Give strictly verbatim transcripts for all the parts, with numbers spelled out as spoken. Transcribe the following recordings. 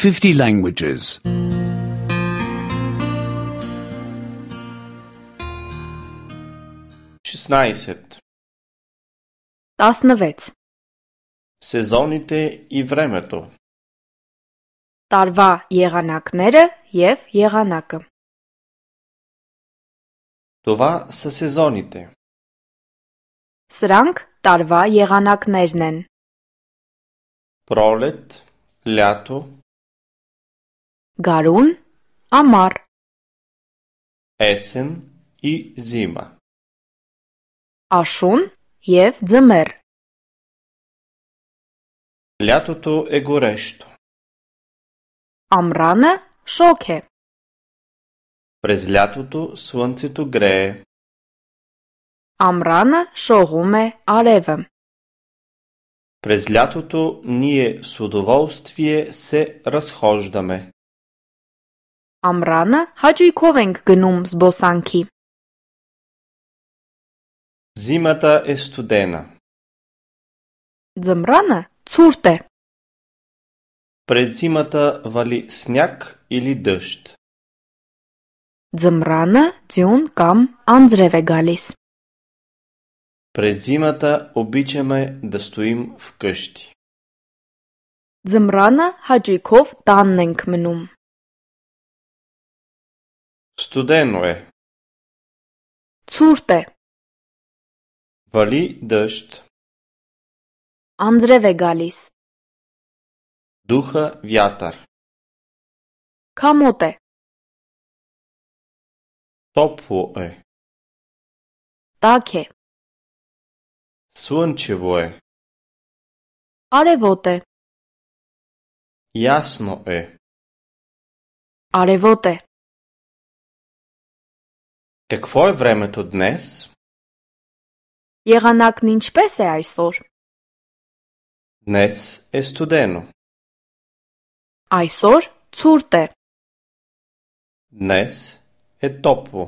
fifty languages. шестнайсет. տասնվեց. Сезоните и времето. Տարվա եղանակները և եղանակը. Това са сезоните. Սրանք տարվա եղանակներն են. Пролет, лято, Գարուն, ամառ, есен и зима. աշուն և ձմեռ. Лятото е горещо. Ամռանը շոգ է. През лятото слънцето грее. Ամռանը շողում է արևը. През лятото ние с удоволствие се разхождаме. Ամռանը հաճույքով ենք գնում զբոսանքի. Зимата е студена. Ձմռանը ցուրտ է. През зимата вали сняг или дъжд. Ձմռանը ձյուն կամ անձրև է գալիս. През зимата обичаме да стоим вкъщи. Ձմռանը հաճույքով տանն ենք մնում. Студено е. Ցուրտ է. Вали дъжд. Անձրև է գալիս. Духа вятър. Քամոտ է. Топло е. Տաք է. Слънчево е. Արևոտ է. Ясно е. Արևոտ է. Какво е времето днес? Եղանակն ինչպես է այսօր? Днес е студено. Այսօր ցուրտ է. Днес е топло.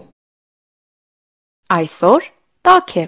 Այսօր տաք է.